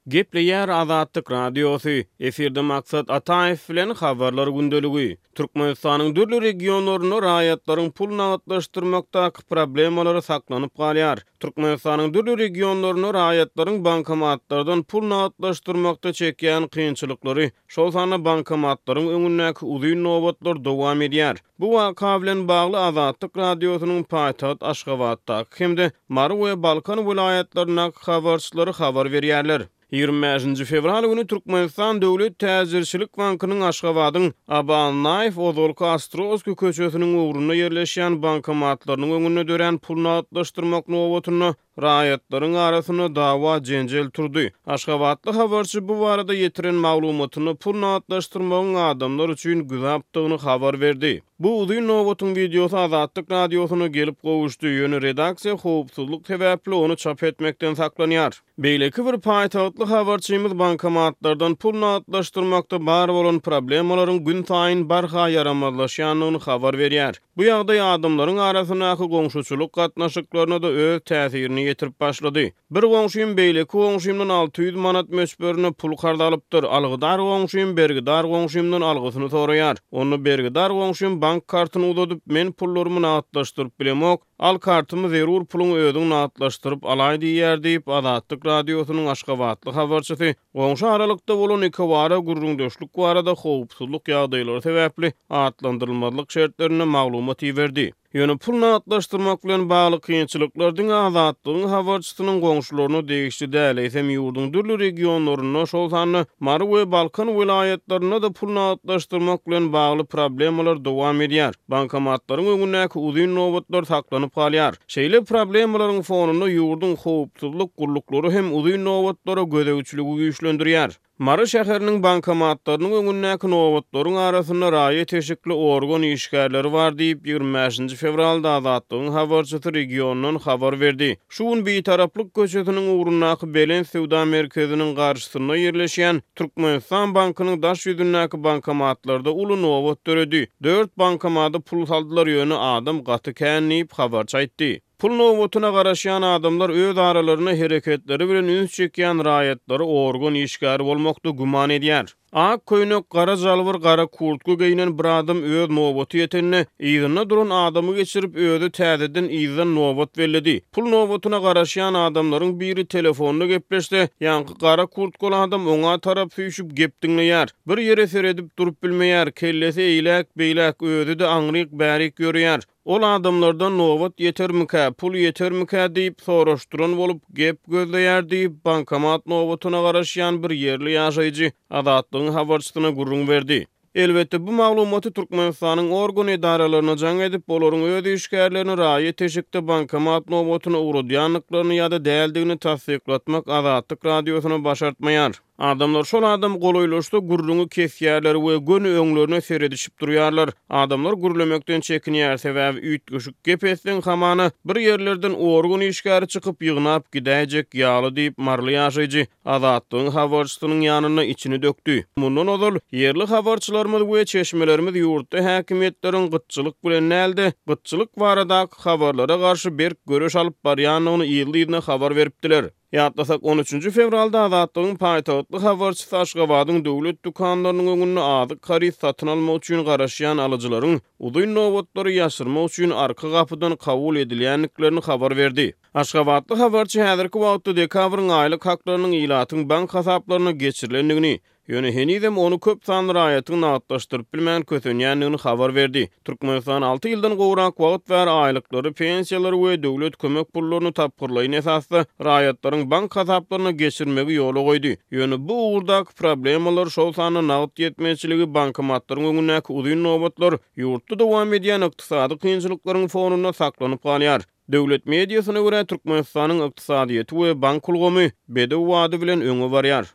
Gepleýär Azatlyk Radiosy, efirde Maksat Ataýew bilen Habarlar gündeligi. Türkmenistanyň dürli regionlarynda raýatlaryň pul nagtlaşdyrmakdaky problemalary saklanyp galýar. Türkmenistanyň dürli regionlarynda raýatlaryň bankomatlardan pul nagtlaşdyrmakda çekýän kynçylyklary, şol sanda bankomatlaryň öňündäki uzyn nobatlar dowam edýär. Bu waka bilen bagly Azatlyk Radiosynyň paýtagt Aşgabatdaky hem-de Mary we Balkan welaýatlaryndaky habarçylary habar berýärler. 25-nji fewral güni Türkmenistan döwlet täjirçilik bankynyň Aşgabadyň Aba Annaýew ozalky Ostrowskiý köçesiniň ugrunda ýerleşýän bankomatlarynyň öňünde dörän pul nagtlaşdyrmak nobatynda Raýatlaryň arasynda dawa-jenjel turdy. Aşgabatly habarçy bu barada ýetiren maglumatynda pul nagtlaşdyrmagyň adamlar üçin güzapdygyny habar berdi. Bu uzyn nobatyň wideosy Azatlyk Radiosyna gelip gowuşdy, ýöne redaksiýa howpsuzlyk sebäpli ony çap etmekden saklanýar. Beýleki bir paýtagtly habarçymyz bankomatlardan pul nagtlaşdyrmakda bar bolan problemalaryň günsaýyn barha ýaramazlaşýandygyny habar berýär. Bu ýagdaý adamlaryň arasyndaky goňşuçylyk gatnaşyklaryna-da öz täsirini ýetirip başlady. Bir goňşym beýleki goňşymdan 600 manat möçberinde pul karz alypdyr. Algydar goňşym bergidar goňşymdan algysyny soraýar. Onda bergidar goňşym bank kartyny uzadyp, men pullarymy nagtlaşdyryp bilemok, al kartymy zerur puluňy özüň nagtlaşdyryp alaý diýýär diýip, Azatlyk Radiosynyň aşgabatly habarçysy Goňşy aralykda bolan ikibara gürrüňdeşlik barada howpsuzlyk ýagdaýlary sebäpli atlandyrylmazlyk şertlerinde maglumat iberdi. Ýöne pul nagtlaşdyrmak bilen bagly kynçylyklar diňe Azatlygyň habarçysynyň goňşularyna degişli däl, eýsem ýurduň dürli regionlarynda, şol sanda Mary we Balkan welaýatlarynda-da pul nagtlaşdyrmak bilen bagly problemalar dowam edýär. Bankomatlaryň öňündäki uzyn nobatlar saklanyp galýar. Şeýle problemalaryň fonunda ýurduň howpsuzlyk gulluklary hem uzyn nobatlara gözegçiligi güýçlendirýär. Mary şäheriniň bankomatlarynyň öňündäki nobatlaryň arasynda raýat eşikli organ işgärleri bar diýip, 25-nji fewralda Azatlygyň habarçysy regiondan habar berdi. Şu gün Bitaraplyk köçesiniň ugrundaky Belent söwda merkeziniň garşysynda ýerleşýän Türkmenistan bankynyň daş ýüzündäki bankomatlarda uly nobat döredi. Dört bankomada pul saldylar, ýöne adam gaty kän diýip, habarçy aýtdy. Pul nobatyna garaşýan adamlar öz aralarynda hereketleri bilen üns çekýän raýatlary organ işgäri bolmakda güman edýär. Ak köýnek, gara jalbyr, gara kurtka geýnen bir adam öz nobaty ýetende, yzynda duran adamy geçirip, özi täzeden yzdan nobat belledi. Pul nobatyna garaşýan adamlaryň biri telefonda gepleşse, ýaňky gara kurtkaly adam oňa tarap süýşüp gep diňleýär. Bir ýere seredip durup bilmeýär, kellesi eýläk-beýläk, özi-de aňryk-bärik ýöreýär. Ol adamlardan nobat ýetermikä, pul ýetermikä diýip soraşdyran bolup, gep gözleýär diýip, bankomat nobatyna garaşýan bir ýerli ýaşaýjy Azatlygyň habarçysyna gürrüň berdi. Elbetde, bu maglumaty Türkmenistanyň organ edaralaryna jaň edip, olaryň öz işgärlerini raýat eşikde bankomat nobatyna ugradýandyklaryny ýa-da däldigini tassyklatmak Azatlyk Radiosyna başartmaýar. Adamlar şol adam golaýlaşsa gürrüňi kesýärler we göni öňlerine seredişip durýarlar. Adamlar gürlemekden çekinýär, sebäbi üýtgeşik gep etseň hamana bir ýerlerden organ işgäri çykyp ýygnap gidäýjek ýaly diýip, maryly ýaşaýjy Azatlygyň habarçysynyň ýanynda içini dökdi. Mundan ozal, ýerli habarçylarymyz we çeşmelerimiz ýurtda häkimiýetleriň gytçylyk bilen däl-de, gytçylyk baradaky habarlara garşy berk göreş alyp barýandygyny yzly-yzyna habar beripdiler. Ýatlasak, on üçünji fewralda Azatlygyň paýtagtly habarçysy Aşgabadyň döwlet dükanlarynyň öňünde azyk haryt satyn almak üçin garaşýan alyjylaryň uzyn nobatlary ýaşyrmak üçin arka gapydan kabul edilýändiklerini habar berdi. Aşgabatly habarçy häzirki wagtda dekabryň aýlyk haklarynyň ilatyň bank hasaplaryna geçirilendigini, Ýöne henizem ony köp sanly raýatyň nagtlaşdyryp bilmän kösenýändigini habar berdi. Türkmenistan alty ýyldan gowrak wagt bäri aýlyklary, pensiýalary we döwlet kömek pullaryny tapgyrlaýyn esasda raýatlaryň bank hasaplaryna geçirmegi ýola goýdy. Ýöne bu ugurdaky problemalar, şol sanda nagt ýetmezçiligi, bankomatlaryň öňündäki uzyn nobatlar ýurtda dowam edýän ykdysady kynçylyklaryň fonunda saklanyp galýar. Döwlet mediasyna görä, Türkmenistanyň ykdysadyýeti we bank ulgamy bedew bady bilen öňe barýar.